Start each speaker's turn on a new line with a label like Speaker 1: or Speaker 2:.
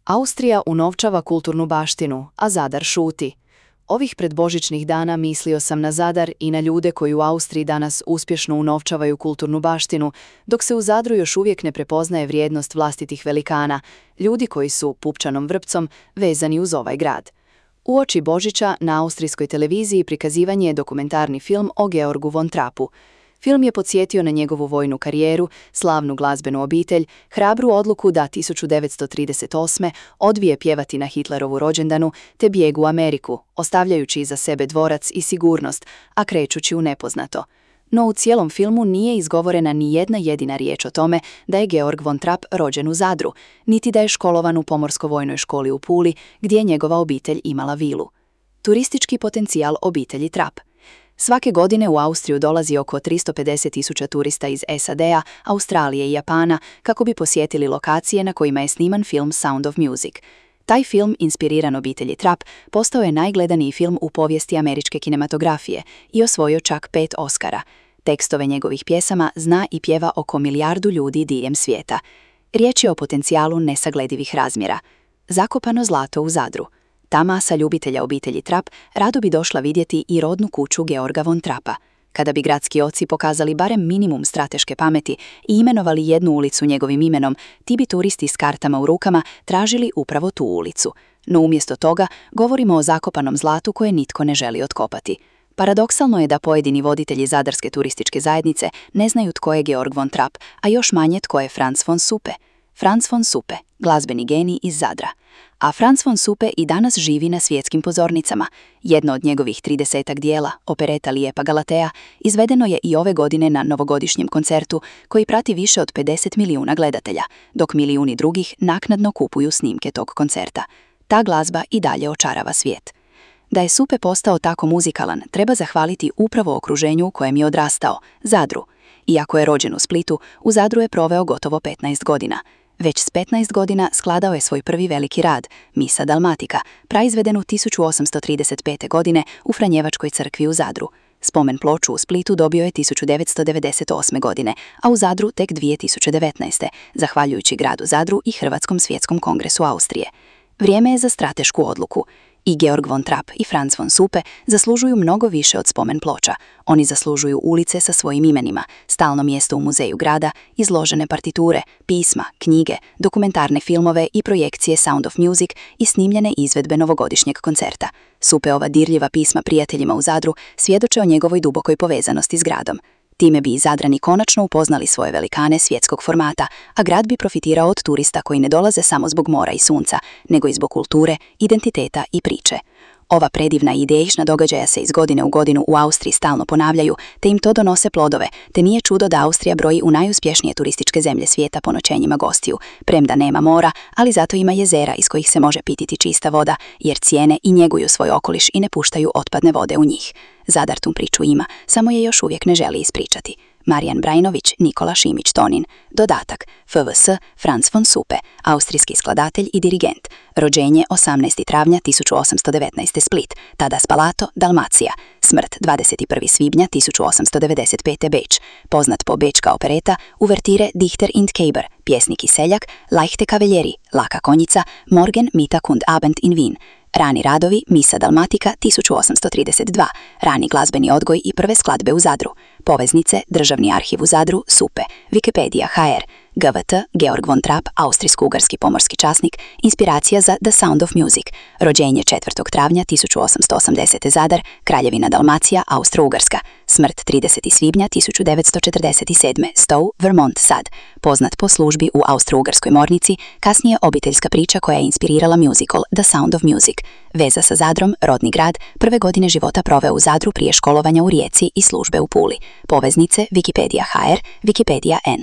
Speaker 1: Austrija unovčava kulturnu baštinu, a Zadar šuti. Ovih predbožićnih dana mislio sam na Zadar i na ljude koji u Austriji danas uspješno unovčavaju kulturnu baštinu, dok se u Zadru još uvijek ne prepoznaje vrijednost vlastitih velikana, ljudi koji su pupčanom vrpcom vezani uz ovaj grad. Uoči Božića na austrijskoj televiziji prikazivan je dokumentarni film o Georgu von Trappu. Film je podsjetio na njegovu vojnu karijeru, slavnu glazbenu obitelj, hrabru odluku da 1938. odbije pjevati na Hitlerovu rođendanu te bijeg u Ameriku, ostavljajući iza sebe dvorac i sigurnost, a krećući u nepoznato. No u cijelom filmu nije izgovorena ni jedna jedina riječ o tome da je Georg von Trapp rođen u Zadru, niti da je školovan u Pomorsko-vojnoj školi u Puli, gdje je njegova obitelj imala vilu. Turistički potencijal obitelji Trapp. Svake godine u Austriju dolazi oko 350.000 turista iz SAD-a, Australije i Japana kako bi posjetili lokacije na kojima je sniman film Sound of Music. Taj film, inspiriran obitelji Trapp, postao je najgledaniji film u povijesti američke kinematografije i osvojio čak 5 Oscara. Tekstove njegovih pjesama zna i pjeva oko 1 milijardu ljudi diljem svijeta. Riječ je o potencijalu nesagledivih razmjera. Zakopano zlato u Zadru. Ta masa ljubitelja obitelji Trapp rado bi došla vidjeti i rodnu kuću Georga von Trappa. Kada bi gradski oci pokazali barem minimum strateške pameti i imenovali jednu ulicu njegovim imenom, ti bi turisti s kartama u rukama tražili upravo tu ulicu. No umjesto toga govorimo o zakopanom zlatu koje nitko ne želi otkopati. Paradoksalno je da pojedini voditelji zadarske turističke zajednice ne znaju tko je Georg von Trapp, a još manje tko je Franz von Suppe. Franz von Suppe, glazbeni genij iz Zadra. A Franz von Suppe i danas živi na svjetskim pozornicama. Jedno od njegovih 30-ak dijela, opereta Lijepa Galatea, izvedeno je i ove godine na novogodišnjem koncertu koji prati više od 50 milijuna gledatelja, dok milijuni drugih naknadno kupuju snimke tog koncerta. Ta glazba i dalje očarava svijet. Da je Suppe postao tako muzikalan, treba zahvaliti upravo okruženju u kojem je odrastao, Zadru. Iako je rođen u Splitu, u Zadru je proveo gotovo 15 godina. Već s 15 godina skladao je svoj prvi veliki rad, Misa Dalmatica, praizvedenu 1835. godine u Franjevačkoj crkvi u Zadru. Spomen ploču u Splitu dobio je 1998. godine, a u Zadru tek 2019. zahvaljujući gradu Zadru i Hrvatskom svjetskom kongresu Austrije. Vrijeme je za stratešku odluku. I Georg von Trapp i Franz von Suppe zaslužuju mnogo više od spomen ploča. Oni zaslužuju ulice sa svojim imenima, stalno mjesto u muzeju grada, izložene partiture, pisma, knjige, dokumentarne filmove i projekcije Sound of Music i snimljene izvedbe novogodišnjeg koncerta. Suppeova dirljiva pisma prijateljima u Zadru svjedoče o njegovoj dubokoj povezanosti s gradom. Time bi i Zadrani konačno upoznali svoje velikane svjetskog formata, a grad bi profitirao od turista koji ne dolaze samo zbog mora i sunca, nego i zbog kulture, identiteta i priče. Ova predivna i idejna događaja se iz godine u godinu u Austriji stalno ponavljaju, te im to donose plodove, te nije čudo da Austrija broji u najuspješnije turističke zemlje svijeta po noćenjima gostiju, premda nema mora, ali zato ima jezera iz kojih se može pititi čista voda, jer cijene i njeguju svoj okoliš i ne puštaju otpadne vode u njih. Zadar tu priču ima, samo je još uvijek ne želi ispričati. Marijan Brajnović, Nikola Šimić-Tonin. Dodatak: FVS Franz von Suppe, austrijski skladatelj i dirigent. Rođenje 18. travnja 1819. Split, tada Spalato, Dalmacija. Smrt 21. svibnja 1895. Beč. Poznat po bečka opereta, uvertire Dichter und Keiber, pjesnik i seljak, Leichte Kavaljerie, laka konjica, Morgen Mittag und Abend in Wien. Rani radovi, Misa Dalmatica 1832, rani glazbeni odgoj i prve skladbe u Zadru. Poveznice, Državni arhiv u Zadru, Suppe, Wikipedia HR, GVT, Georg von Trapp, austrijsko-ugarski pomorski časnik, inspiracija za The Sound of Music. Rođenje 4. travnja 1880. Zadar, Kraljevina Dalmacija, Austro-Ugarska. Smrt 30. svibnja 1947. Stowe, Vermont Sad. Poznat po službi u Austro-Ugarskoj mornici, kasnije obiteljska priča koja je inspirirala musical The Sound of Music. Veza sa Zadrom, rodni grad, prve godine života proveo u Zadru prije školovanja u Rijeci i službe u Puli. Poveznice, Wikipedia HR, Wikipedia N.